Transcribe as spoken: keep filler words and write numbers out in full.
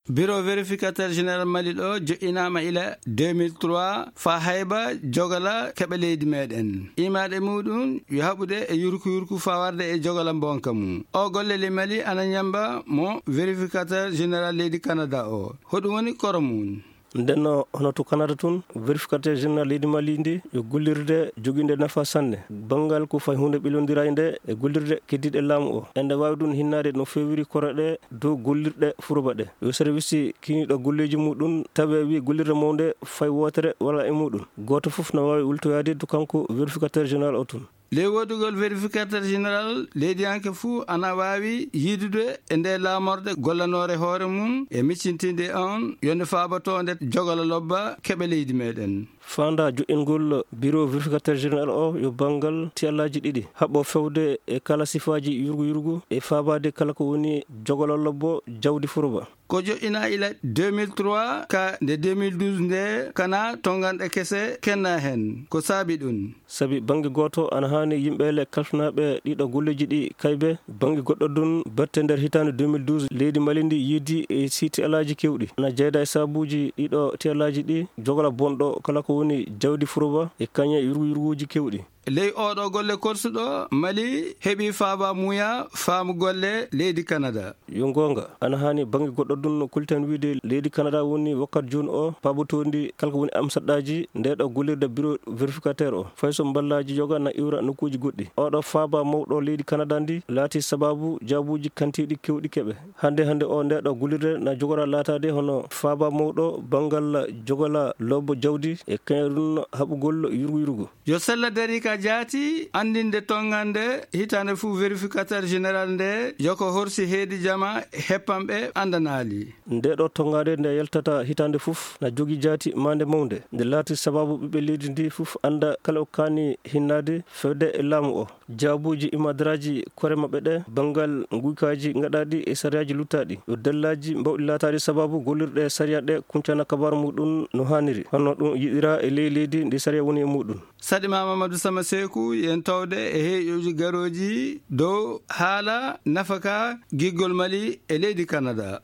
Biro vérificateur général Mali ɗo joɗɗinaama ila deux mille trois faa hayba jogala keɓa leydi meɗen. Imaade muɗum yo haɓude e yurku yurku faa warde e jogala bonka mum. O golle le Mali ana ñamba mo vérificateur général leydi Canada o. Hoɗum woni koro mum? Ndenno hono to Canada tun, vérificateur général leydi Mali ndi yo gollirde jogiinde nafa sanne. Banngal ko fay huunde ɓilondiraade nde e gollirde keddiiɗe laamu o. Ende waawi ɗum hinnaade no feewiri koro ɗe dow gollirɗe furoba ɗe. Yo service kiniiɗo golleeji muɗum tawe wi gollirde mawnde fay wootere wala e muɗum. Gooto fof no waawi wultoyaade to kanko vérificateur général o tun. Ley woodugol vérificateur général, leydiyanke fuu ana waawi yiidude e nde laamorde gollanoore hoore mum e miccintinde on yo nde faaboto nde jogala lobba keɓa leydi meɗen. Faanda joɗɗingol biro vérificateur général o yo banngal tiyallaaji ɗiɗi, haɓɓo fewde e kala sifaaji yurgu yurgu e faabaade kala ko woni jogala lobbo jawdi furoba. Ko joɗɗinaa ila deux mille trois ka nde deux mille douze nde kana tonganɗe kese kenna heen. Ko saabi ɗum? Sabi bannge gooto ana haani yimɓe le kalfinaaɓe ɗiɗo golleeji ɗi kaybe. Bannge goɗɗo ɗum batte nder hitaande deux mille douze leydi Mali ndi yiidi e sii tiyallaaji keewɗi. Ana jeyda e sabuuji ɗiɗo tiyallaaji ɗi jogala bonɗo kala ko woni jawdi furoba e kañe yurgu yurguuji keewɗi. Ley oɗo golle korsuɗo, Mali heɓi faaba muuya faamu golle leydi Canada. Yo goonga, ana haani bannge goɗɗo ɗum no kulten wiide leydi Canada woni wakkat jooni o paabotoondi kala ko woni am saɗɗaaji nde ɗo gollirde biro vérificateur o. Fay so mballaaji yoga na iwra nokkuuji goɗɗi. Oɗo faaba mawɗo leydi Canada ndi laati sababu jaabuuji kantiiɗi keewɗi keɓe. Hannde hannde o nde ɗo gollirde na jogora laataade hono faaba mawɗo banngal jogala lobbo jawdi e kañum ɗum haɓugol yurgu yurgu. Yo sella dari ka jaati anndinde tongande hitaande fuu vérificateur général nde yo ko horsi heedi jama heppanɓe anndanaali. Nde ɗo tongande nde yaltata hitaande fof na jogi jaati maande mawnde. Nde laati sababu ɓiɓɓe leydi ndi fof annda kala ko kaani hinnaade fewde e laamu o. Jaabuuji imadaraaji kore maɓɓe ɗe banngal nguykaaji gaɗaaɗi e sariyaaji luttaaɗi. Yo dallaaji mbawɗi laataade sababu gollirɗe sariya ɗe kuncana kabaru muɗum no haaniri. Hono ɗum yiɗira e ley leydi ndi sariya woni e muɗum. Saɗi ma Mamadou Sama Seeku, yen tawde e heeƴooji garooji dow haala nafaka giggol Mali e leydi Canada.